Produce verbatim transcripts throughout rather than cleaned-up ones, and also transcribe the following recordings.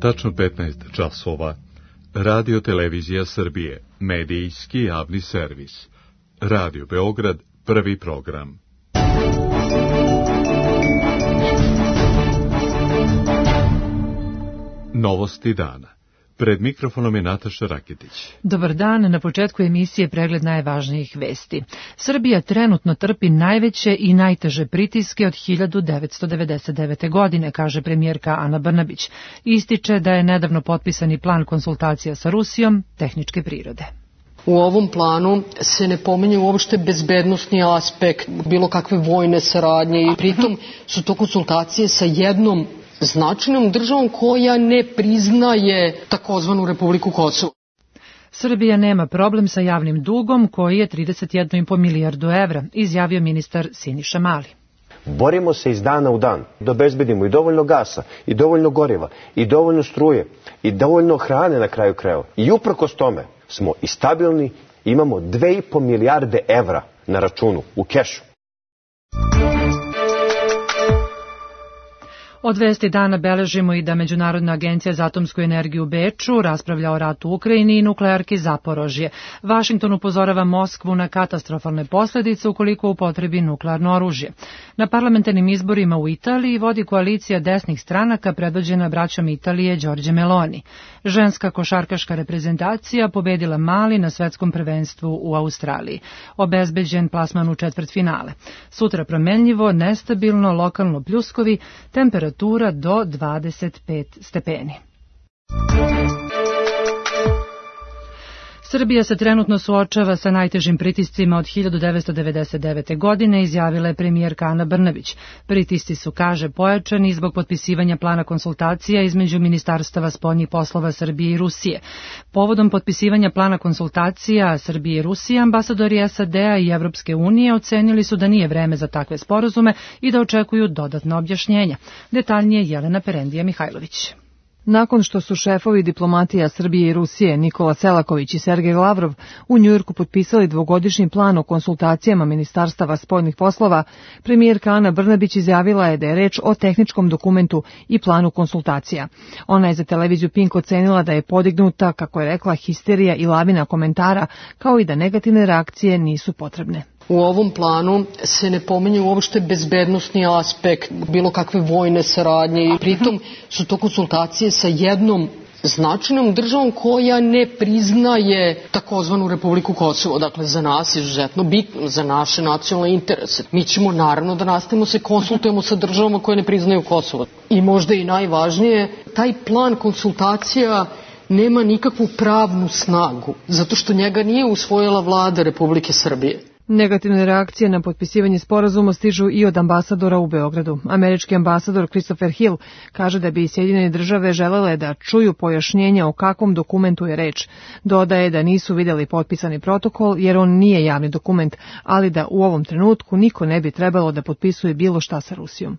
Tačno petnaest časova. Radio Televizija Srbije, medijski javni servis. Radio Beograd, prvi program. Novosti dana. Pred mikrofonom je Nataša Raketić. Dobar dan, na početku emisije pregled najvažnijih vesti. Srbija trenutno trpi najveće i najteže pritiske od hiljadu devetsto devedeset devete. godine, kaže premijerka Ana Brnabić. Ističe da je nedavno potpisani plan konsultacija sa Rusijom tehničke prirode. U ovom planu se ne pominje uopšte bezbednosni aspekt, bilo kakve vojne saradnje i pritom su to konsultacije sa jednom značajnom državom koja ne priznaje takozvanu Republiku Kosovo. Srbija nema problem sa javnim dugom koji je trideset jedna zarez pet milijardu evra, izjavio ministar Siniša Mali. Borimo se iz dana u dan da obezbedimo i dovoljno gasa, i dovoljno goriva, i dovoljno struje, i dovoljno hrane na kraju krajeva. I uprkos tome smo i stabilni, imamo dve i po milijarde evra na računu, u kešu. Od vesti dana beležimo i da Međunarodna agencija za atomsku energiju u Beču raspravlja o ratu u Ukrajini i nuklearki Zaporožje. Vašington upozorava Moskvu na katastrofalne posljedice ukoliko upotrebi nuklearno oružje. Na parlamentarnim izborima u Italiji vodi koalicija desnih stranaka predvođena braćom Italije Đorđe Meloni. Ženska košarkaška reprezentacija pobedila Mali na svetskom prvenstvu u Australiji. Obezbeđen plasman u četvrtfinale. Sutra promenljivo, nestabilno, lokalno pljuskovi, temperatura do dvadeset pet stepeni. Srbija se trenutno suočava sa najtežim pritiscima od hiljadu devetsto devedeset devete. godine, izjavila je premijerka Ana Brnabić. Pritisci su, kaže, pojačani zbog potpisivanja plana konsultacija između ministarstava spoljnih poslova Srbije i Rusije. Povodom potpisivanja plana konsultacija Srbije i Rusije, ambasadori S A D-a i Evropske unije ocenili su da nije vreme za takve sporazume i da očekuju dodatna objašnjenja. Detaljnije Jelena Perendija Mihajlović. Nakon što su šefovi diplomatija Srbije i Rusije Nikola Selaković i Sergej Lavrov u Njujorku potpisali dvogodišnji plan o konsultacijama ministarstava spoljnih poslova, premijerka Ana Brnabić izjavila je da je reč o tehničkom dokumentu i planu konsultacija. Ona je za televiziju Pink ocenila da je podignuta, kako je rekla, histerija i lavina komentara, kao i da negativne reakcije nisu potrebne. U ovom planu se ne pominje uopšte bezbednosni aspekt, bilo kakve vojne saradnje i pritom su to konsultacije sa jednom značajnom državom koja ne priznaje takozvanu Republiku Kosovo. Dakle, za nas je izuzetno bitno, za naše nacionalne interese. Mi ćemo naravno da nastavimo se konsultujemo sa državama koje ne priznaju Kosovo. I možda i najvažnije, taj plan konsultacija nema nikakvu pravnu snagu, zato što njega nije usvojila vlada Republike Srbije. Negativne reakcije na potpisivanje sporazuma stižu i od ambasadora u Beogradu. Američki ambasador Christopher Hill kaže da bi Sjedinjene države želele da čuju pojašnjenja o kakvom dokumentu je reč. Dodaje da nisu vidjeli potpisani protokol jer on nije javni dokument, ali da u ovom trenutku niko ne bi trebalo da potpisuje bilo šta sa Rusijom.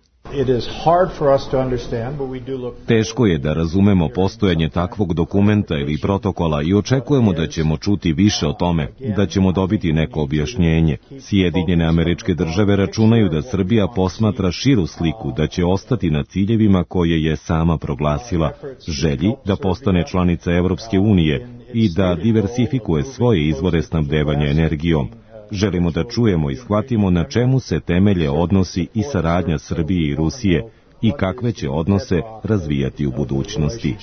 Teško je da razumemo postojanje takvog dokumenta ili protokola i očekujemo da ćemo čuti više o tome, da ćemo dobiti neko objašnjenje. Sjedinjene Američke Države računaju da Srbija posmatra širu sliku, da će ostati na ciljevima koje je sama proglasila, želji da postane članica Evropske unije i da diversifikuje svoje izvore snabdevanja energijom. Želimo da čujemo i shvatimo na čemu se temelje odnosi i saradnja Srbije i Rusije i kakve će odnose razvijati u budućnosti.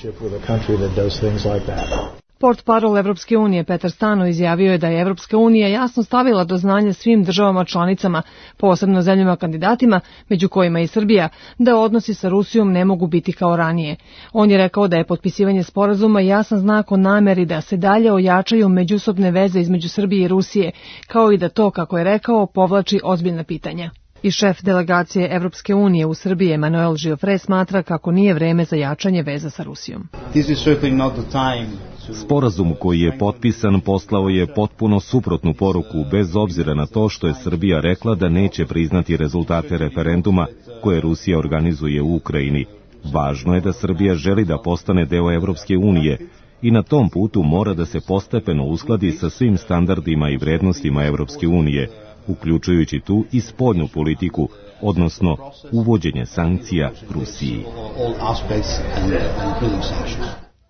Portparol Evropske unije Petar Stano izjavio je da je Evropska unija jasno stavila do znanja svim državama članicama, posebno zemljama kandidatima, među kojima i Srbija, da odnosi sa Rusijom ne mogu biti kao ranije. On je rekao da je potpisivanje sporazuma jasan znak o nameri da se dalje ojačaju međusobne veze između Srbije i Rusije, kao i da to, kako je rekao, povlači ozbiljna pitanja. I šef delegacije Evropske unije u Srbiji Emanuel Giofre smatra kako nije vreme za jačanje veza sa Rusijom. Sporazum koji je potpisan poslao je potpuno suprotnu poruku, bez obzira na to što je Srbija rekla da neće priznati rezultate referenduma koje Rusija organizuje u Ukrajini. Važno je da Srbija želi da postane deo Evropske unije i na tom putu mora da se postepeno uskladi sa svim standardima i vrednostima Evropske unije, uključujući tu i spoljnu politiku, odnosno uvođenje sankcija Rusiji.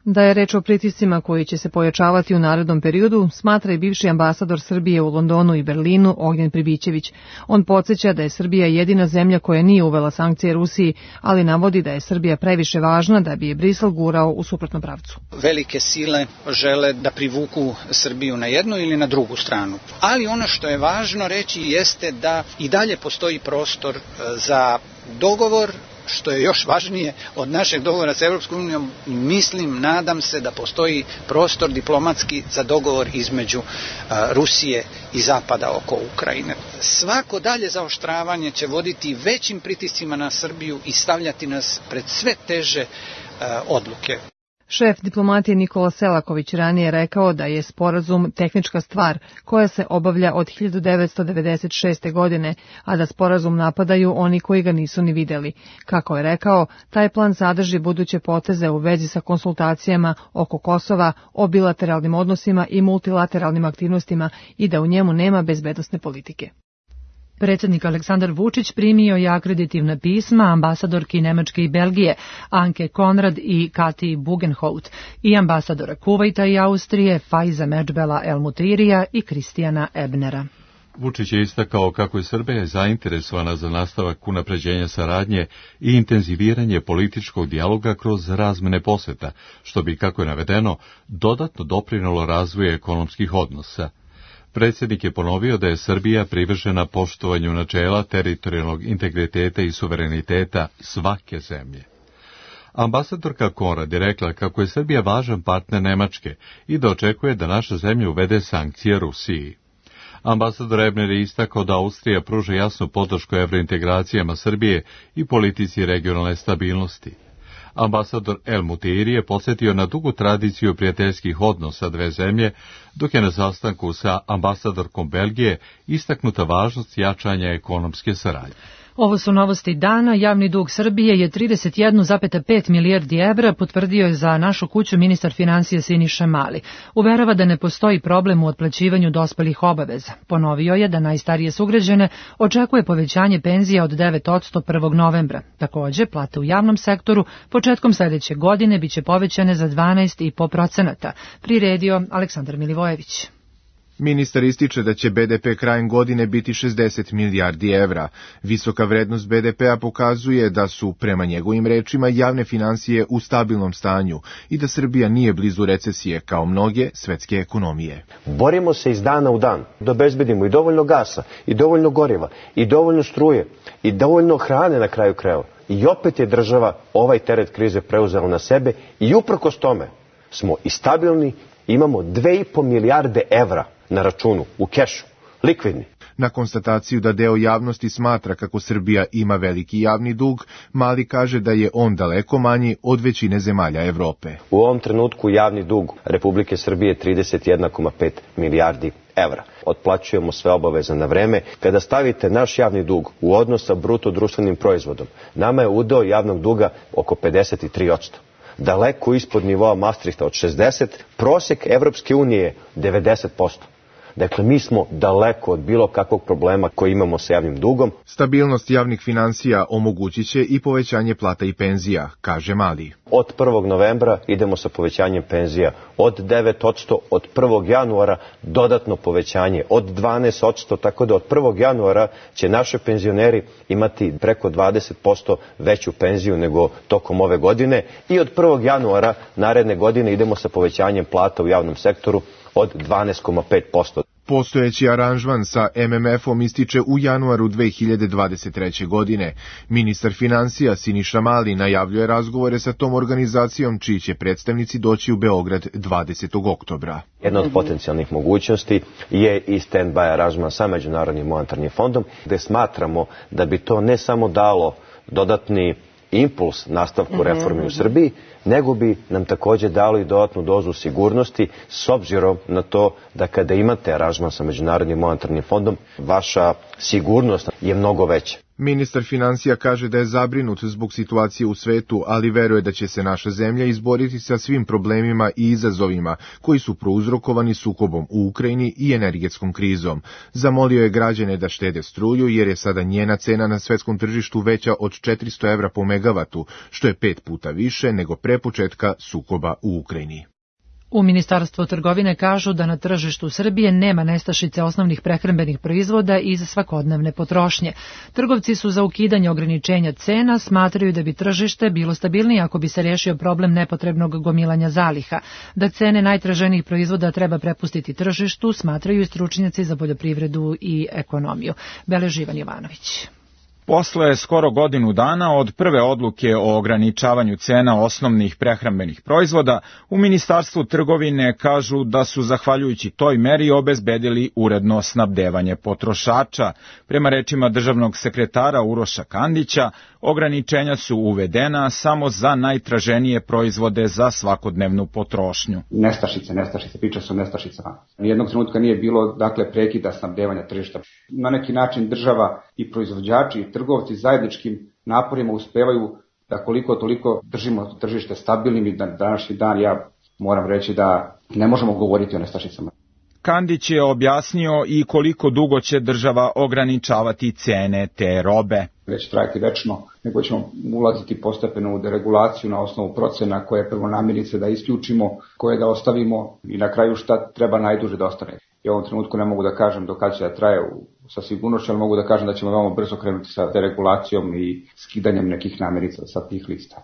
Da je reč o pritiscima koji će se pojačavati u narednom periodu, smatra i bivši ambasador Srbije u Londonu i Berlinu Ognjen Pribićević. On podsjeća da je Srbija jedina zemlja koja nije uvela sankcije Rusiji, ali navodi da je Srbija previše važna da bi je Brisel gurao u suprotnom pravcu. Velike sile žele da privuku Srbiju na jednu ili na drugu stranu. Ali ono što je važno reći jeste da i dalje postoji prostor za dogovor, što je još važnije od našeg dogovora sa Evropskom unijom, mislim, nadam se da postoji prostor diplomatski za dogovor između a, Rusije i Zapada oko Ukrajine. Svako dalje zaoštravanje će voditi većim pritiscima na Srbiju i stavljati nas pred sve teže a, odluke. Šef diplomatije Nikola Selaković ranije rekao da je sporazum tehnička stvar koja se obavlja od hiljadu devetsto devedeset šeste. godine, a da sporazum napadaju oni koji ga nisu ni videli. Kako je rekao, taj plan sadrži buduće poteze u vezi sa konsultacijama oko Kosova, o bilateralnim odnosima i multilateralnim aktivnostima i da u njemu nema bezbednosne politike. Predsjednik Aleksandar Vučić primio je akreditivna pisma ambasadorki Nemačke i Belgije Anke Konrad i Kati Bugenhout i ambasadora Kuvajta i Austrije Faiza Medžbela El Mutirija i Kristijana Ebnera. Vučić je istakao kako je Srbija zainteresovana za nastavak unapređenja saradnje i intenziviranje političkog dijaloga kroz razmene poseta, što bi, kako je navedeno, dodatno doprinelo razvoju ekonomskih odnosa. Predsjednik je ponovio da je Srbija privržena poštovanju načela teritorijalnog integriteta i suvereniteta svake zemlje. Ambasadorka Konrad je rekla kako je Srbija važan partner Nemačke i da očekuje da naša zemlja uvede sankcije Rusiji. Ambasador Ebner je istakao da Austrija pruža jasnu podršku evrointegracijama Srbije i politici regionalne stabilnosti. Ambasador El Mutiri je podsjetio na dugu tradiciju prijateljskih odnosa dve zemlje, dok je na sastanku sa ambasadorkom Belgije istaknuta važnost jačanja ekonomske saradnje. Ovo su novosti dana. Javni dug Srbije je trideset jedan zarez pet milijardi evra, potvrdio je za Našu kuću ministar financija Siniša Mali. Uverava da ne postoji problem u otplaćivanju dospelih obaveza. Ponovio je da najstarije sugrađane očekuje povećanje penzija od devet posto prvog novembra. Takođe, plate u javnom sektoru početkom sledeće godine biće povećane za dvanaest zarez pet posto. Priredio Aleksandar Milivojević. Ministar ističe da će be de pe krajem godine biti šezdeset milijardi evra. Visoka vrednost be de pe-a pokazuje da su, prema njegovim rečima, javne finansije u stabilnom stanju i da Srbija nije blizu recesije kao mnoge svetske ekonomije. Borimo se iz dana u dan da obezbedimo i dovoljno gasa, i dovoljno goriva, i dovoljno struje, i dovoljno hrane na kraju krajeva. I opet je država ovaj teret krize preuzela na sebe i uprkos tome smo i stabilni, imamo dve i po milijarde evra na računu, u kešu, likvidni. Na konstataciju da deo javnosti smatra kako Srbija ima veliki javni dug, Mali kaže da je on daleko manji od većine zemalja Evrope. U ovom trenutku javni dug Republike Srbije je trideset jedan zarez pet milijardi evra. Otplaćujemo sve obaveze na vreme. Kada stavite naš javni dug u odnos sa bruto društvenim proizvodom, nama je udeo javnog duga oko pedeset tri posto. Daleko ispod nivoa Maastrichta od šezdeset, prosek Evropske unije je devedeset posto. Dakle, mi smo daleko od bilo kakvog problema koji imamo sa javnim dugom. Stabilnost javnih finansija omogućit će i povećanje plata i penzija, kaže Mali. Od prvog novembra idemo sa povećanjem penzija od devet posto, od prvog januara dodatno povećanje od dvanaest posto, tako da od prvog januara će naši penzioneri imati preko dvadeset posto veću penziju nego tokom ove godine i od prvog januara naredne godine idemo sa povećanjem plata u javnom sektoru od dvanaest zarez pet posto. Postojeći aranžman sa em em ef-om ističe u januaru dve hiljade dvadeset treće. godine. Ministar financija Siniša Mali najavljuje razgovore sa tom organizacijom, čiji će predstavnici doći u Beograd dvadesetog oktobra. Jedna od potencijalnih mogućnosti je i stand-by aranžman sa Međunarodnim monetarnim fondom, gde smatramo da bi to ne samo dalo dodatni impuls nastavku reformi u Srbiji, nego bi nam takođe dalo i dodatnu dozu sigurnosti s obzirom na to da kada imate aranžman sa Međunarodnim monetarnim fondom, vaša sigurnost je mnogo veća. Ministar finansija kaže da je zabrinut zbog situacije u svetu, ali veruje da će se naša zemlja izboriti sa svim problemima i izazovima koji su prouzrokovani sukobom u Ukrajini i energetskom krizom. Zamolio je građane da štede struju jer je sada njena cena na svetskom tržištu veća od četiristo evra po megavatu, što je pet puta više nego pre početka sukoba u Ukrajini. U Ministarstvu trgovine kažu da na tržištu Srbije nema nestašice osnovnih prehrambenih proizvoda iz svakodnevne potrošnje. Trgovci su za ukidanje ograničenja cena, smatraju da bi tržište bilo stabilnije ako bi se rešio problem nepotrebnog gomilanja zaliha. Da cene najtraženijih proizvoda treba prepustiti tržištu, smatraju i stručnjaci za poljoprivredu i ekonomiju. Beleži Ivan Jovanović. Posle skoro godinu dana od prve odluke o ograničavanju cena osnovnih prehrambenih proizvoda, u Ministarstvu trgovine kažu da su zahvaljujući toj meri obezbedili uredno snabdevanje potrošača. Prema rečima državnog sekretara Uroša Kandića, ograničenja su uvedena samo za najtraženije proizvode za svakodnevnu potrošnju. Nestašice, nestašice, priča su o nestašicama. Nijednog trenutka nije bilo, dakle, prekida snabdevanja tržišta. Na neki način država i proizvođači i trgovci zajedničkim naporima uspevaju da koliko toliko držimo tržište stabilnim i da današnji dan ja moram reći da ne možemo govoriti o nestašicama. Kandić je objasnio i koliko dugo će država ograničavati cene te robe. Već trajati večno, nego ćemo ulaziti postepeno u deregulaciju na osnovu procena koje prvo namirnice da isključimo, koje da ostavimo i na kraju šta treba najduže da ostane. I u ovom trenutku ne mogu da kažem do kada će da traje sa sigurnošću, ali mogu da kažem da ćemo veoma brzo krenuti sa deregulacijom i skidanjem nekih namirnica sa tih lista.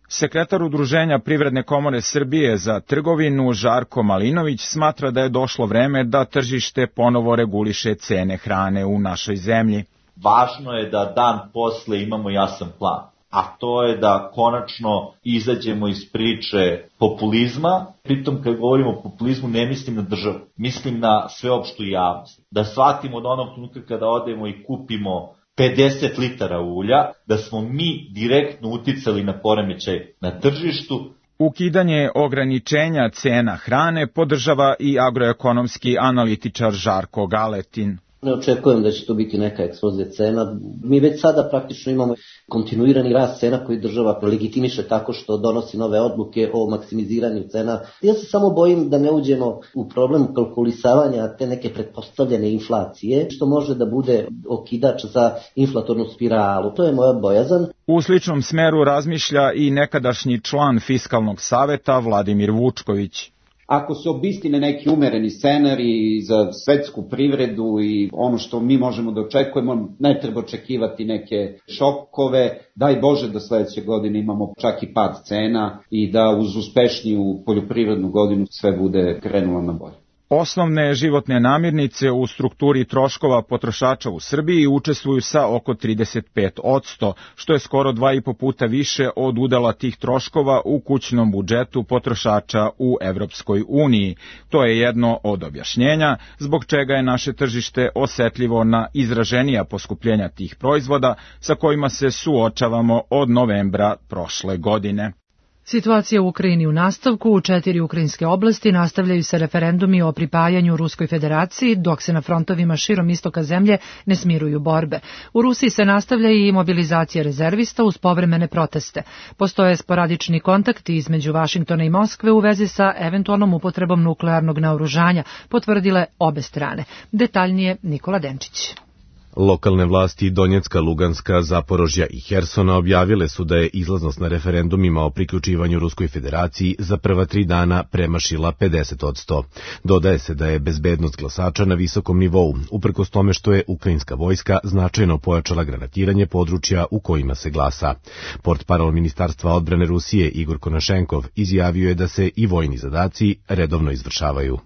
Sekretar Udruženja Privredne komore Srbije za trgovinu Žarko Malinović smatra da je došlo vreme da tržište ponovo reguliše cene hrane u našoj zemlji. Važno je da dan posle imamo jasan plan, a to je da konačno izađemo iz priče populizma. Pritom kad govorimo o populizmu ne mislim na državu, mislim na sveopštu javnost. Da shvatimo od onog trenutka kada odemo i kupimo pedeset litara ulja, da smo mi direktno uticali na poremećaj na tržištu. Ukidanje ograničenja cena hrane podržava i agroekonomski analitičar Žarko Galetin. Ne očekujem da će to biti neka eksplozija cena. Mi već sada praktično imamo kontinuirani rast cena koji država legitimiše tako što donosi nove odluke o maksimiziranju cena. Ja se samo bojim da ne uđemo u problem kalkulisavanja te neke pretpostavljene inflacije, što može da bude okidač za inflatornu spiralu. To je moja bojazan. U sličnom smeru razmišlja i nekadašnji član Fiskalnog saveta Vladimir Vučković. Ako se obistine neki umereni scenarij za svetsku privredu i ono što mi možemo da očekujemo, ne treba očekivati neke šokove, daj Bože da sledeće godine imamo čak i pad cena i da uz uspešniju poljoprivrednu godinu sve bude krenulo na bolje. Osnovne životne namirnice u strukturi troškova potrošača u Srbiji učestvuju sa oko trideset pet posto, što je skoro dva i po puta više od udela tih troškova u kućnom budžetu potrošača u Evropskoj uniji. To je jedno od objašnjenja zbog čega je naše tržište osetljivo na izraženija poskupljenja tih proizvoda sa kojima se suočavamo od novembra prošle godine. Situacija u Ukrajini u nastavku. U četiri ukrajinske oblasti nastavljaju se referendumi o pripajanju Ruskoj federaciji, dok se na frontovima širom istoka zemlje ne smiruju borbe. U Rusiji se nastavlja i mobilizacija rezervista uz povremene proteste. Postoje sporadični kontakti između Vašingtona i Moskve u vezi sa eventualnom upotrebom nuklearnog naoružanja, potvrdile obe strane. Detaljnije Nikola Denčić. Lokalne vlasti Donjecka, Luganska, Zaporožja i Hersona objavile su da je izlaznost na referendumima o priključivanju Ruskoj federaciji za prva tri dana premašila pedeset posto. Dodaje se da je bezbednost glasača na visokom nivou, uprkos tome što je ukrajinska vojska značajno pojačala granatiranje područja u kojima se glasa. Portparol Ministarstva odbrane Rusije Igor Konašenkov izjavio je da se i vojni zadaci redovno izvršavaju.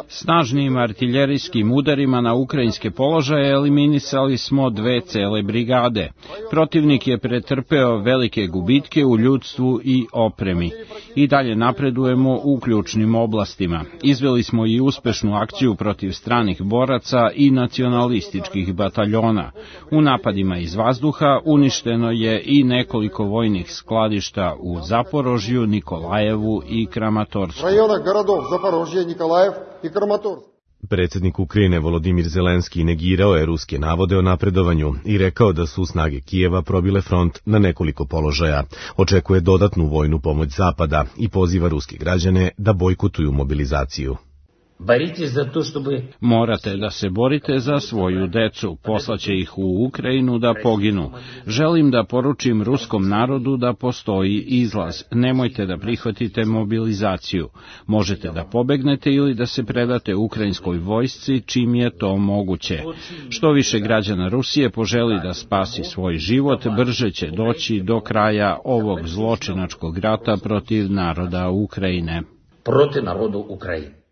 Snažnim artiljerijskim udarima na ukrajinske položaje eliminisali smo dve cele brigade. Protivnik je pretrpeo velike gubitke u ljudstvu i opremi. I dalje napredujemo u ključnim oblastima. Izveli smo i uspešnu akciju protiv stranih boraca i nacionalističkih bataljona. U napadima iz vazduha uništeno je i nekoliko vojnih skladišta u Zaporožju, Nikolajevu i Kramatorsku. Predsjednik Ukrajine Volodimir Zelenski negirao je ruske navode o napredovanju i rekao da su snage Kijeva probile front na nekoliko položaja. Očekuje dodatnu vojnu pomoć Zapada i poziva ruske građane da bojkotuju mobilizaciju. Morate da se borite za svoju decu, poslaće ih u Ukrajinu da poginu. Želim da poručim ruskom narodu da postoji izlaz. Nemojte da prihvatite mobilizaciju. Možete da pobegnete ili da se predate ukrajinskoj vojsci čim je to moguće. Što više građana Rusije poželi da spasi svoj život, brže će doći do kraja ovog zločinačkog rata protiv naroda Ukrajine. Protiv narodu Ukrajine.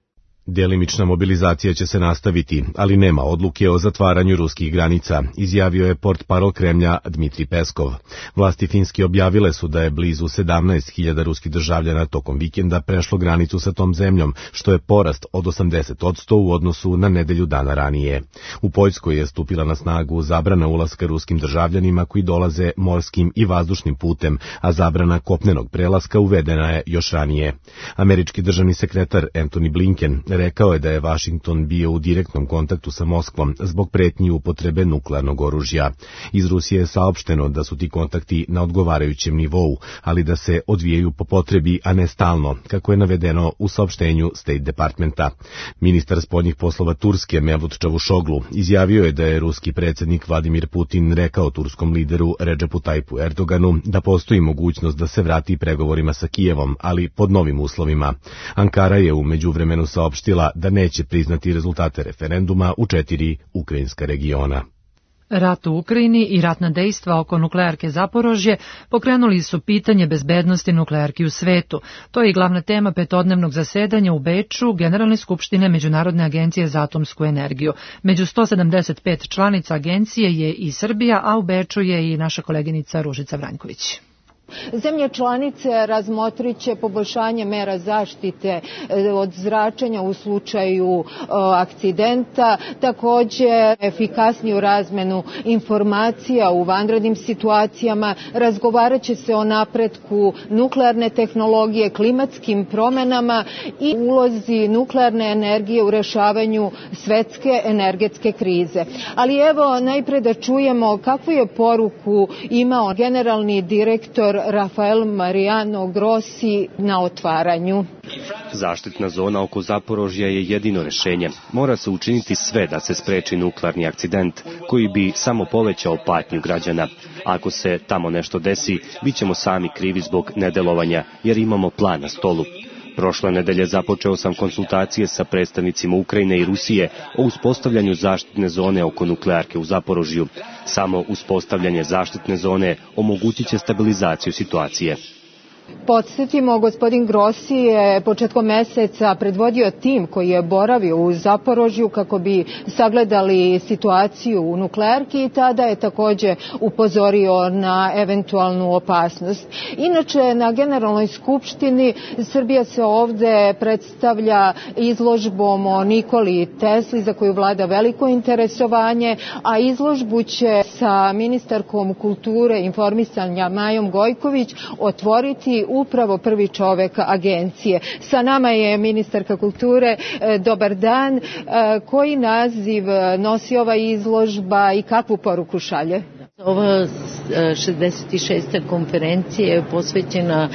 Delimična mobilizacija će se nastaviti, ali nema odluke o zatvaranju ruskih granica, izjavio je portparol Kremlja Dmitri Peskov. Vlasti Finske objavile su da je blizu sedamnaest hiljada ruskih državljana tokom vikenda prešlo granicu sa tom zemljom, što je porast od osamdeset posto u odnosu na nedelju dana ranije. U Poljskoj je stupila na snagu zabrana ulaska ruskim državljanima koji dolaze morskim i vazdušnim putem, a zabrana kopnenog prelaska uvedena je još ranije. Američki državni sekretar Antony Blinken rekao je da je Vašington bio u direktnom kontaktu sa Moskvom zbog pretnji upotrebe nuklearnog oružja. Iz Rusije je saopšteno da su ti kontakti na odgovarajućem nivou, ali da se odvijaju po potrebi, a ne stalno, kako je navedeno u saopštenju State Departmenta. Ministar spoljnih poslova Turske Mevlut Čavuşoglu izjavio je da je ruski predsjednik Vladimir Putin rekao turskom lideru Redžepu Tajpu Erdoganu da postoji mogućnost da se vrati pregovorima sa Kijevom, ali pod novim uslovima. Ankara je u međuvremenu saopštila da neće priznati rezultate referenduma u četiri ukrajinska regiona. Rat u Ukrajini i ratna dejstva oko nuklearke Zaporožje pokrenuli su pitanje bezbednosti nuklearki u svetu. To je i glavna tema petodnevnog zasedanja u Beču Generalne skupštine Međunarodne agencije za atomsku energiju. Među sto sedamdeset pet članica agencije je i Srbija, a u Beču je i naša koleginica Ružica Vranjković. Zemlje članice razmotrit će poboljšanje mera zaštite od zračenja u slučaju akcidenta, također efikasniju razmenu informacija u vanrednim situacijama, razgovarat će se o napretku nuklearne tehnologije, klimatskim promjenama i ulozi nuklearne energije u rešavanju svetske energetske krize. Ali evo najpre da čujemo kakvu je poruku imao generalni direktor Rafael Mariano Grossi na otvaranju. Zaštitna zona oko Zaporožja je jedino rešenje. Mora se učiniti sve da se spreči nuklearni akcident koji bi samo povećao patnju građana. Ako se tamo nešto desi, bit ćemo sami krivi zbog nedelovanja jer imamo plan na stolu. Prošle nedelje započeo sam konsultacije sa predstavnicima Ukrajine i Rusije o uspostavljanju zaštitne zone oko nuklearke u Zaporožju. Samo uspostavljanje zaštitne zone omogućit će stabilizaciju situacije. Podsjetimo, gospodin Grossi je početkom meseca predvodio tim koji je boravio u Zaporožju kako bi sagledali situaciju u nuklearki i tada je također upozorio na eventualnu opasnost. Inače, na Generalnoj skupštini Srbija se ovdje predstavlja izložbom o Nikoli Tesli za koju vlada veliko interesovanje, a izložbu će sa ministarkom kulture i informisanja Majom Gojković otvoriti upravo prvi čovek agencije. Sa nama je ministarka kulture. Dobar dan. Koji naziv nosi ova izložba i kakvu poruku šalje? Ova šezdeset šesta konferencija je posvećena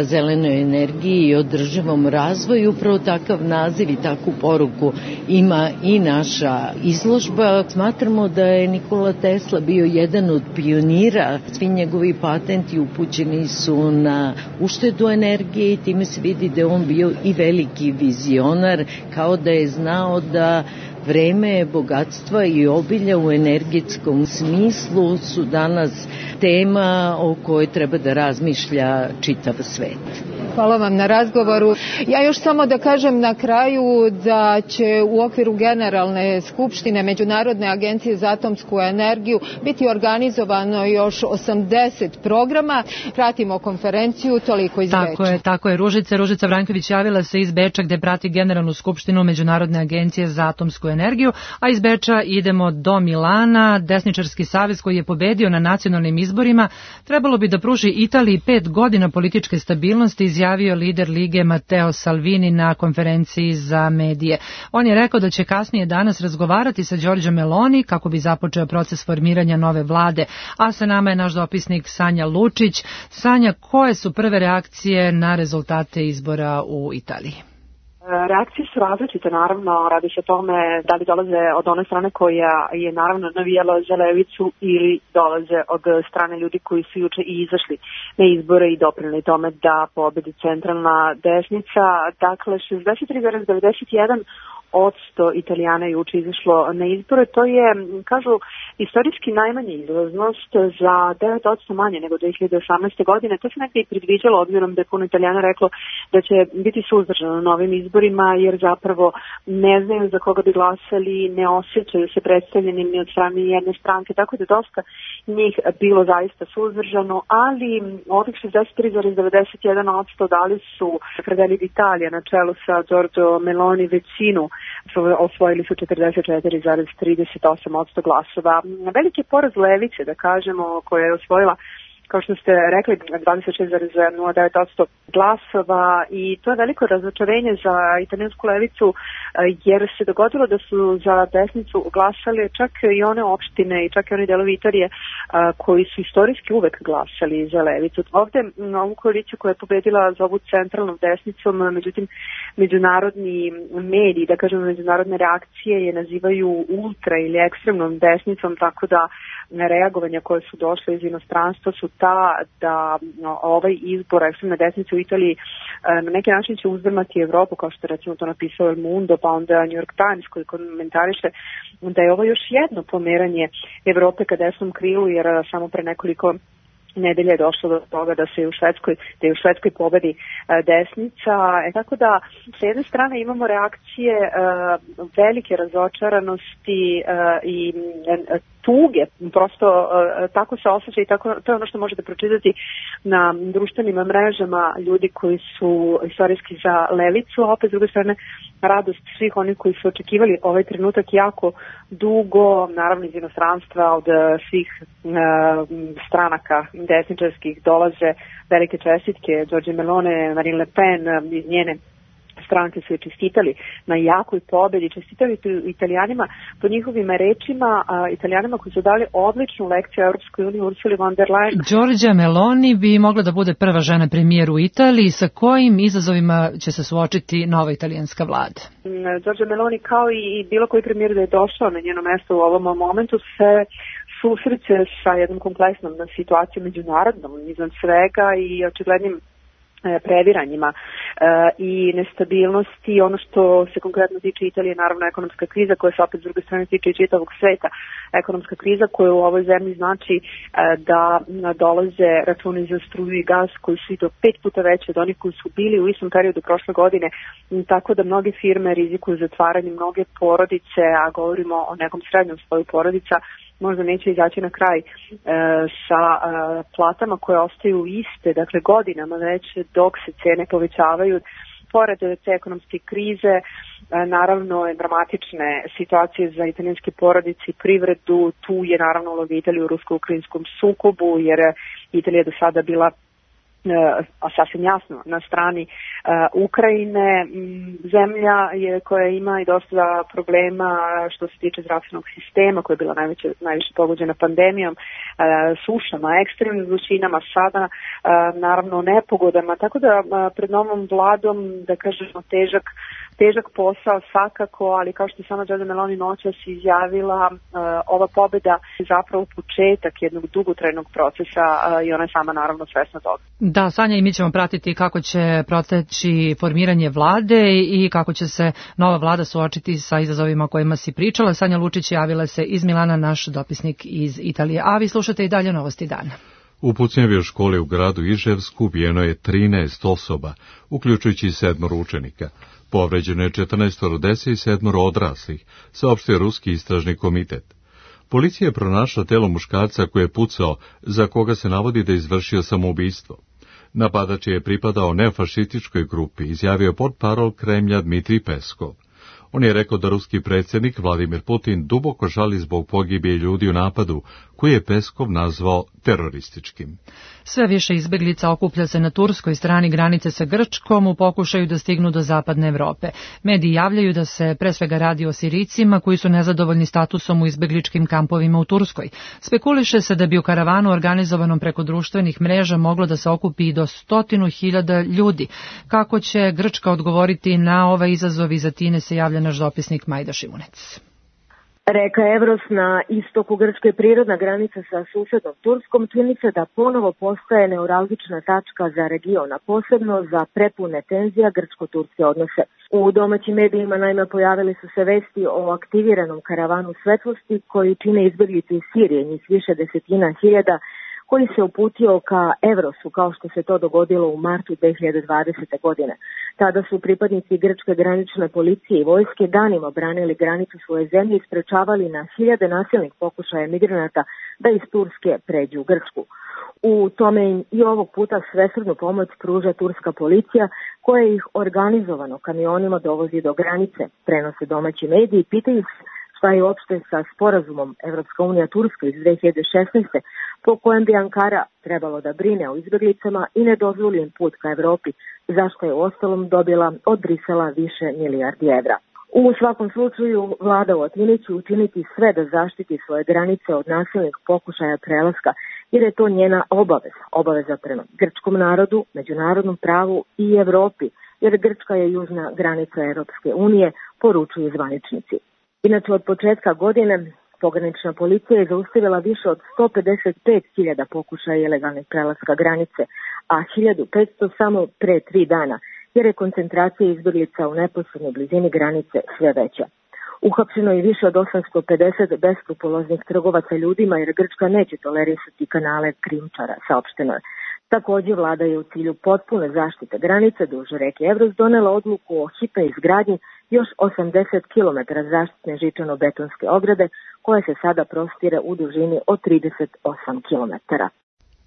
zelenoj energiji i održivom razvoju. Upravo takav naziv i takvu poruku ima i naša izložba. Smatramo da je Nikola Tesla bio jedan od pionira. Svi njegovi patenti upućeni su na uštedu energije i time se vidi da je on bio i veliki vizionar, kao da je znao da vreme bogatstva i obilja u energetskom smislu su danas tema o kojoj treba da razmišlja čitav svet. Hvala vam na razgovoru. Ja još samo da kažem na kraju da će u okviru Generalne skupštine Međunarodne agencije za atomsku energiju biti organizovano još osamdeset programa. Pratimo konferenciju, toliko iz Beča. Tako je, tako je. Ružica, Ružica Vranjković javila se iz Beča gde prati Generalnu skupštinu Međunarodne agencije za atomsku energiju. energiju, a iz Beča idemo do Milana. Desničarski savez koji je pobedio na nacionalnim izborima trebalo bi da pruži Italiji pet godina političke stabilnosti, izjavio lider Lige Matteo Salvini na konferenciji za medije. On je rekao da će kasnije danas razgovarati sa Giorgia Meloni kako bi započeo proces formiranja nove vlade. A sa nama je naš dopisnik Sanja Lučić. Sanja, koje su prve reakcije na rezultate izbora u Italiji? Reakcije su različite, naravno, radi se o tome da li dolaze od one strane koja je naravno navijala za levicu ili dolaze od strane ljudi koji su juče i izašli na izbore i doprineli tome da pobedi centralna desnica. Dakle, šezdeset tri zarez devedeset jedan odsto Italijana juče izašlo na izbore. To je, kažu, istorijski najmanja izlaznost, za devet odsto manje nego dve hiljade osamnaeste. godine. To se nekada i predviđalo, obzirom da je puno Italijana reklo da će biti suzdržano na novim izborima, jer zapravo ne znaju za koga bi glasali, ne osjećaju se predstavljenim ni od strane jedne stranke, tako da dosta njih bilo zaista suzdržano, ali ovih šezdeset tri zarez devedeset jedan odsto dali su Fratelli d'Italia na čelu sa Giorgio Meloni većinu, osvojili su četrdeset četiri zarez trideset osam odsto glasova. Veliki poraz levice, da kažemo, koja je osvojila, kao što ste rekli, dvadeset šest zarez nula devet odsto glasova, i to je veliko razočarenje za italijansku levicu, jer se dogodilo da su za desnicu glasali čak i one opštine i čak i one delovi Italije koji su istorijski uvek glasali za levicu. Ovde ovu koaliciju koja je pobedila za ovu centralnom desnicom, međutim, međunarodni mediji, da kažemo međunarodne reakcije, je nazivaju ultra ili ekstremnom desnicom, tako da reagovanja koje su došle iz inostranstva su ta da no, ovaj izbor ekstremne desnice u Italiji na neki način će uzdrmati Evropu, kao što je recimo to napisao El Mundo, pa onda New York Times koji komentariše da je ovo još jedno pomeranje Evrope ka desnom krilu, jer samo pre nekoliko nedelje je došlo do toga da se u Švedskoj, da je u Švedskoj pobedi e, desnica. E, tako da, sa jedne strane imamo reakcije e, velike razočaranosti e, i e, tuge, prosto e, tako se osjeća i tako, to je ono što možete pročitati na društvenim mrežama ljudi koji su istorijski za levicu, a opet s druge strane radost svih onih koji su očekivali ovaj trenutak jako dugo, naravno iz inostranstva, od svih e, stranaka desničarskih dolaze velike čestitke. Giorgia Meloni, Marine Le Pen, iz njene stranke su je čestitali na jakoj pobedi, čestitali Italijanima po njihovim rečima, a, Italijanima koji su dali odličnu lekciju Europskoj uniji, Ursuli von der Leyen. Giorgia Meloni bi mogla da bude prva žena premijer u Italiji. Sa kojim izazovima će se suočiti nova italijanska vlada? Giorgia Meloni, kao i bilo koji premijer da je došao na njeno mesto u ovom momentu, se susreće sa jednom kompleksnom situacijom međunarodnom izvan svega i očiglednim previranjima e, i nestabilnosti. Ono što se konkretno tiče Italije, naravno ekonomska kriza koja se opet s druge strane tiče i čitavog sveta. Ekonomska kriza koja u ovoj zemlji znači e, da dolaze računi za struju i gas koji su i do pet puta veće od onih koji su bili u istom periodu prošle godine, tako da mnoge firme rizikuju zatvaranje, mnoge porodice, a govorimo o nekom srednjom sloju porodica, možda neće izaći na kraj e, sa e, platama koje ostaju iste, dakle godinama već, dok se cene povećavaju. Pored te ekonomske krize, e, naravno je dramatične situacije za italijanske porodice i privredu. Tu je naravno uloga Italije u rusko-ukrajinskom sukobu, jer Italija do sada bila a sasvim jasno na strani uh, Ukrajine, zemlja je koja ima i dosta problema što se tiče zdravstvenog sistema, koja je bila najveće, najviše pogođena pandemijom, uh, sušama, ekstremnim vrućinama, sada uh, naravno nepogodama, tako da uh, pred novom vladom, da kažemo, težak težak posao svakako, ali kao što je sama Giorgia Meloni noćas izjavila, uh, ova pobeda je zapravo početak jednog dugotrajnog procesa uh, i ona je sama naravno svesna toga. Da, Sanja, i mi ćemo pratiti kako će proteći formiranje vlade i kako će se nova vlada suočiti sa izazovima o kojima si pričala. Sanja Lučić javila se iz Milana, naš dopisnik iz Italije. A vi slušate i dalje Novosti dana. U pucnjevoj školi u gradu Iževsku ubijeno je trinaest osoba, uključujući sedmoro učenika. Povređeno je četrnaestoro dece i sedmoro odraslih, saopštio Ruski istražni komitet. Policija je pronašla telo muškarca koji je pucao, za koga se navodi da je izvršio samoubistvo. Napadač je pripadao neofašističkoj grupi, izjavio portparol Kremlja Dmitrij Peskov. On je rekao da ruski predsjednik Vladimir Putin duboko žali zbog pogibije ljudi u napadu, koji je Peskov nazvao terorističkim. Sve više izbeglica okuplja se na turskoj strani granice sa Grčkom u pokušaju da stignu do zapadne Evrope. Mediji javljaju da se pre svega radi o Sirijcima koji su nezadovoljni statusom u izbegličkim kampovima u Turskoj. Spekuliše se da bi u karavanu organizovanom preko društvenih mreža moglo da se okupi i do stotinu hiljada ljudi. Kako će Grčka odgovoriti na ovaj izazov, iz Atine se javlja naš dopisnik Majda Šimunec. Reka Evros na istoku Grčke, prirodna granica sa susednom Turskom, čini se da ponovo postaje neuralgična tačka za region, a posebno za prepune tenzija grčko-turske odnose. U domaćim medijima naime pojavili su se vesti o aktiviranom karavanu svetlosti koji čine izbeglice iz Sirije, njih više desetina hiljada, koji se uputio ka Evrosu, kao što se to dogodilo u martu dve hiljade dvadesete. godine. Tada su pripadnici grčke granične policije i vojske danima branili granicu svoje zemlje i sprečavali na hiljade nasilnih pokušaja migranata da iz Turske pređu u Grčku. U tome im i ovog puta svesrdnu pomoć pruža turska policija, koja ih organizovano kamionima dovozi do granice, prenose domaći mediji i pitaju se šta je uopšte sa sporazumom Evropska unija Turska iz dve hiljade šesnaeste. po kojem bi Ankara trebalo da brine o izbjeglicama i ne dozvoli im put ka Evropi, zašto je uostalom dobila od Brisela više milijardi evra. U svakom slučaju, vlada u Atini će učiniti sve da zaštiti svoje granice od nasilnih pokušaja prelaska, jer je to njena obaveza, obaveza prema grčkom narodu, međunarodnom pravu i Evropi, jer Grčka je južna granica Evropske unije, poručuju zvaničnici. Inače, od početka godine pogranična policija je zaustavila više od sto pedeset pet hiljada pokušaja ilegalnih prelaska granice, a hiljadu petsto samo pre tri dana, jer je koncentracija izbjeglica u neposrednoj blizini granice sve veća. Uhapšeno je više od osamsto pedeset beskrupuloznih trgovaca ljudima, jer Grčka neće tolerisati kanale krijumčara, saopšteno je. Također, vlada je u cilju potpune zaštite granice duž reke Evros donela odluku o hitnoj izgradnji još osamdeset kilometara zaštitne žičano-betonske ograde, koja se sada prostire u dužini od trideset osam kilometara.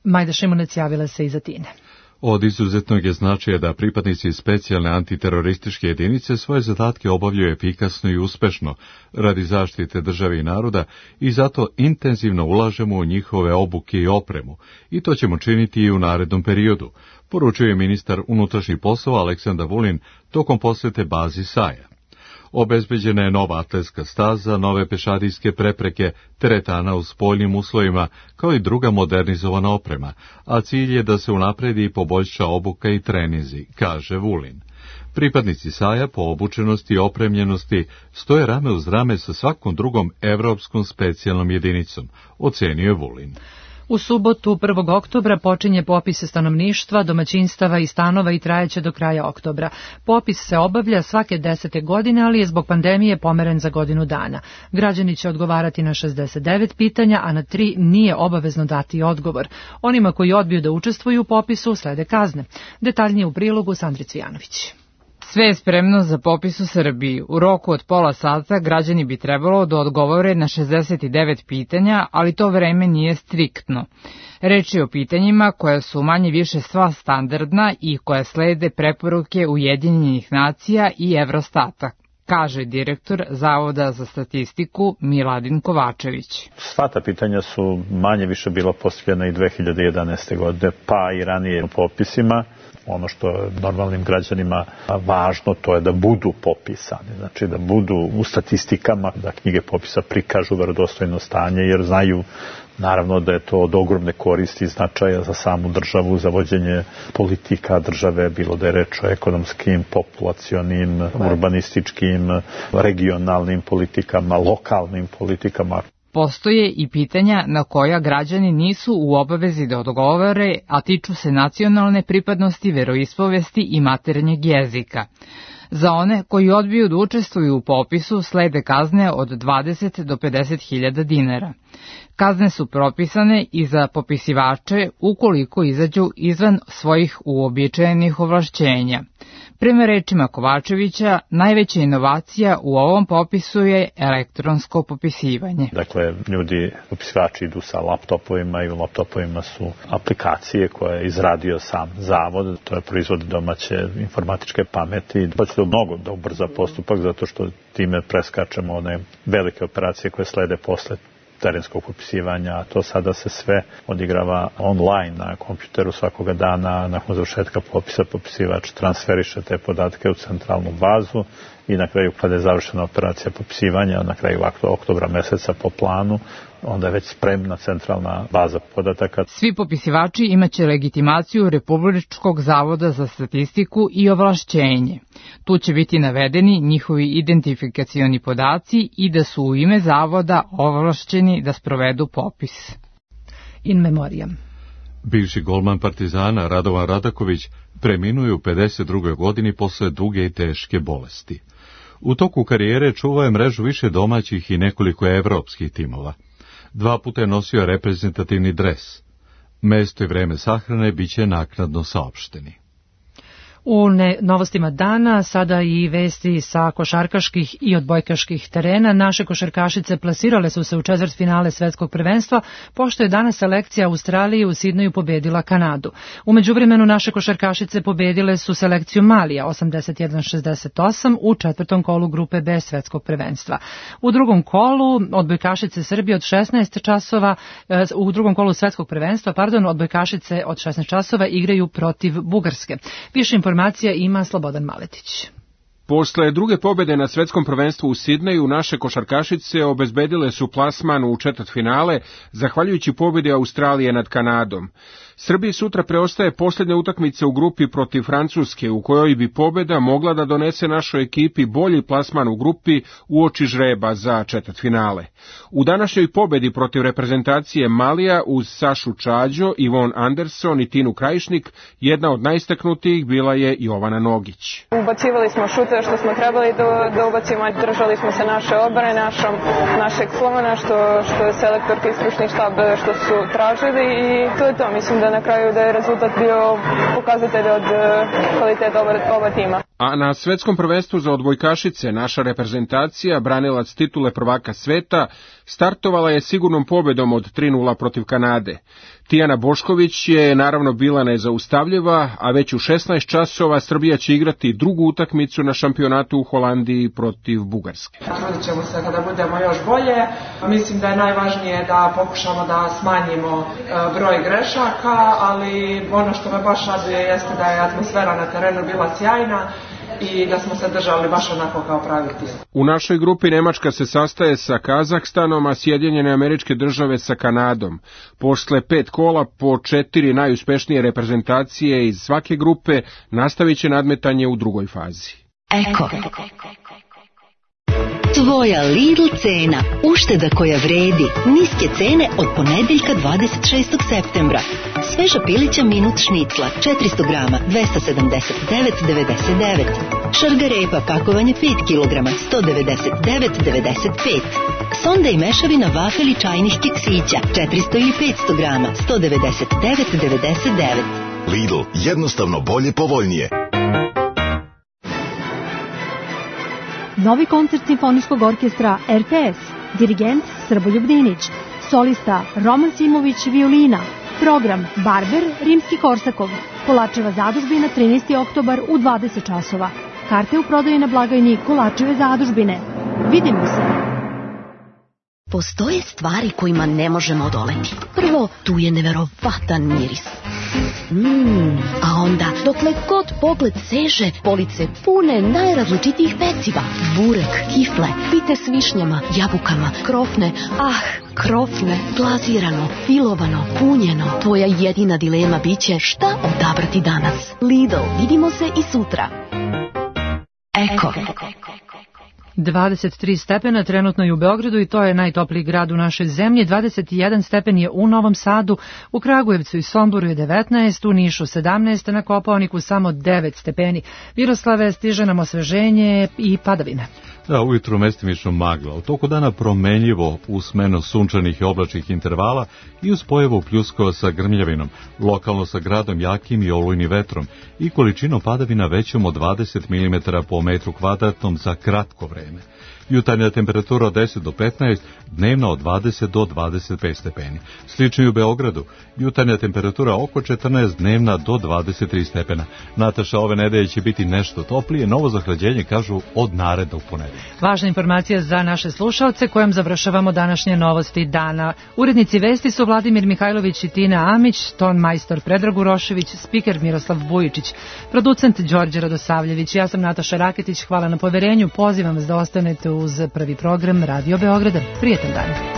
Majda Šimunec javila se iz Atine. Od izuzetnog je značaja da pripadnici specijalne antiterorističke jedinice svoje zadatke obavljaju efikasno i uspešno radi zaštite države i naroda i zato intenzivno ulažemo u njihove obuke i opremu i to ćemo činiti i u narednom periodu, poručuje ministar unutrašnjih poslova Aleksandar Vulin tokom posete bazi Saja. Obezbeđena je nova atletska staza, nove pešadijske prepreke, teretana u spoljnim uslovima, kao i druga modernizovana oprema, a cilj je da se unapredi i poboljša obuka i treninzi, kaže Vulin. Pripadnici Saja po obučenosti i opremljenosti stoje rame uz rame sa svakom drugom evropskom specijalnom jedinicom, ocenio je Vulin. U subotu prvog oktobra počinje popis stanovništva, domaćinstava i stanova i trajeće do kraja oktobra. Popis se obavlja svake desete godine, ali je zbog pandemije pomeren za godinu dana. Građani će odgovarati na šezdeset devet pitanja, a na tri nije obavezno dati odgovor. Onima koji odbiju da učestvuju u popisu slede kazne. Detaljnije u prilogu Sandri Cvijanović. Sve je spremno za popis u Srbiji. U roku od pola sata građani bi trebalo da odgovore na šezdeset devet pitanja, ali to vreme nije striktno. Reč je o pitanjima koja su manje više sva standardna i koja slede preporuke Ujedinjenih nacija i Evrostata, kaže direktor Zavoda za statistiku Miladin Kovačević. Sva ta pitanja su manje više bila postavljena i dve hiljade jedanaeste. godine, pa i ranije u popisima. Ono što je normalnim građanima važno, to je da budu popisani, znači da budu u statistikama, da knjige popisa prikažu verodostojno stanje, jer znaju naravno da je to od ogromne koristi i značaja za samu državu, za vođenje politika države, bilo da je reč o ekonomskim, populacionim, urbanističkim, regionalnim politikama, lokalnim politikama. Postoje i pitanja na koja građani nisu u obavezi da odgovore, a tiču se nacionalne pripadnosti, veroispovesti i maternjeg jezika. Za one koji odbiju da učestvuju u popisu slede kazne od dvadeset do pedeset hiljada dinara. Kazne su propisane i za popisivače ukoliko izađu izvan svojih uobičajenih ovlašćenja. Prema rečima Kovačevića, najveća inovacija u ovom popisu je elektronsko popisivanje. Dakle, ljudi, popisivači idu sa laptopovima i u laptopovima su aplikacije koje je izradio sam zavod, to je proizvod domaće informatičke pameti. Pa će to mnogo da ubrza postupak, zato što time preskačemo one velike operacije koje slede posle terenskog popisivanja, a to sada se sve odigrava online na kompjuteru svakoga dana. Nakon završetka popisa popisivač transferiše te podatke u centralnu bazu i na kraju, kada je završena operacija popisivanja, na kraju oktobra meseca po planu, onda je već spremna centralna baza podataka. Svi popisivači imaće legitimaciju Republičkog zavoda za statistiku i ovlašćenje. Tu će biti navedeni njihovi identifikacioni podaci i da su u ime zavoda ovlašćeni da sprovedu popis. In memoriam. Bivši golman Partizana Radovan Radaković preminuo je u pedeset drugoj godini posle duge i teške bolesti. U toku karijere čuvao je mrežu više domaćih i nekoliko evropskih timova. Dva puta je nosio reprezentativni dres. Mesto i vreme sahrane biće naknadno saopšteni. U ne, novostima dana sada i vesti sa košarkaških i odbojkaških terena. Naše košarkašice plasirale su se u četvrtfinale svetskog prvenstva, pošto je danas selekcija Australije u Sidneju pobedila Kanadu. U međuvremenu naše košarkašice pobedile su selekciju Malija osamdeset jedan šezdeset osam u četvrtom kolu grupe B svetskog prvenstva. U drugom kolu odbojkašice Srbije od šesnaest časova, u drugom kolu svetskog prvenstva, pardon, odbojkašice od šesnaest časova igraju protiv Bugarske. Više informacija ima Slobodan Maletić. Posle druge pobede na svetskom prvenstvu u Sidneju, naše košarkašice obezbedile su plasman u četvrtfinale, zahvaljujući pobedi Australije nad Kanadom. Srbiji sutra preostaje posljednja utakmica u grupi protiv Francuske, u kojoj bi pobeda mogla da donese našoj ekipi bolji plasman u grupi uoči žreba za četvrtfinale. U današnjoj pobedi protiv reprezentacije Malija uz Sašu Čađo, Ivon Anderson i Tinu Krajišnik, jedna od najistaknutijih bila je Jovana Nogić. Ubacivali smo šute što smo trebali da, da ubacimo, držali smo se naše obrane, našom, našeg slona, što, što je selektorka i stručni štab što su tražili i to je to. Mislim da na kraju da je rezultat bio pokazatelj od kvaliteta oba, oba tima. A na svetskom prvenstvu za odbojkašice naša reprezentacija, branilac titule prvaka sveta, startovala je sigurnom pobedom od tri nula protiv Kanade. Tijana Bošković je naravno bila nezaustavljiva, a već u šesnaest časova Srbija će igrati drugu utakmicu na šampionatu u Holandiji protiv Bugarske. Trudit ćemo se kada budemo još bolje. Mislim da je najvažnije da pokušamo da smanjimo broj grešaka, ali ono što me baš raduje jeste da je atmosfera na terenu bila sjajna i da smo se držali baš onako kao pravi tim. U našoj grupi Nemačka se sastaje sa Kazahstanom, a Sjedinjene Američke Države sa Kanadom. Posle pet kola po četiri najuspešnije reprezentacije iz svake grupe nastavit će nadmetanje u drugoj fazi. Eko. Tvoja Lidl cena, ušteda koja vredi, niske cene od ponedeljka dvadeset šestog septembra. Sveža pilića minut šnicla, četiristo grama, dvesta sedamdeset devet devedeset devet. Šargarepa, pakovanje pet kilograma, sto devedeset devet devedeset pet. Sonda i mešavina vafeli čajnih keksića, četiristo ili petsto grama, sto devedeset devet devedeset devet. Lidl, jednostavno bolje, povoljnije. Novi koncert Simfonijskog orkestra R T S, dirigent Srboljub Dinić, solista Roman Simović violina, program Barber Rimski Korsakov, Kolačeva zadužbina trinaesti oktobar u dvadeset časova. Karte u prodaji na blagajni Kolačeve zadužbine. Vidimo se! Postoje stvari kojima ne možemo odoleti. Prvo, tu je neverovatan miris. Mmm, a onda, dokle god pogled seže, police pune najrazličitijih peciva. Burek, kifle, pite s višnjama, jabukama, krofne, ah, krofne, glazirano, filovano, punjeno. Tvoja jedina dilema biće šta odabrati danas. Lidl, vidimo se i sutra. Eko. dvadeset tri stepena trenutno je u Beogradu i to je najtopliji grad u našoj zemlji. dvadeset jedan stepen je u Novom Sadu, u Kragujevcu i Somboru je devetnaest, u Nišu sedamnaest, na Kopaoniku samo devet stepeni. Miroslave, stiže nam osveženje i padavine. Da, ujutru mestimično magla, u toku dana promenljivo u smenu sunčanih i oblačnih intervala i uz pojavu pljuskova sa grmljavinom, lokalno sa gradom jakim i olujnim vetrom i količinom padavina većom od dvadeset milimetara po metru kvadratnom za kratko vreme. Jutarnja temperatura od deset do petnaest, dnevna od dvadeset do dvadeset pet stepeni. Slično i u Beogradu, jutarnja temperatura oko četrnaest, dnevna do dvadeset tri stepena. Nataša, ove nedelje će biti nešto toplije, novo zahlađenje kažu od narednog ponedeljka. Važna informacija za naše slušaoce kojom završavamo današnje novosti dana. Urednici vesti su Vladimir Mihajlović i Tina Amić, ton majstor Predrag Urošević, spiker Miroslav Vujičić, producent Đorđe Radosavljević. Ja sam Nataša Raketić, hvala na poverenju, pozivam vas da ostanete uz prvi program Radio Beograda. Prijetan dan.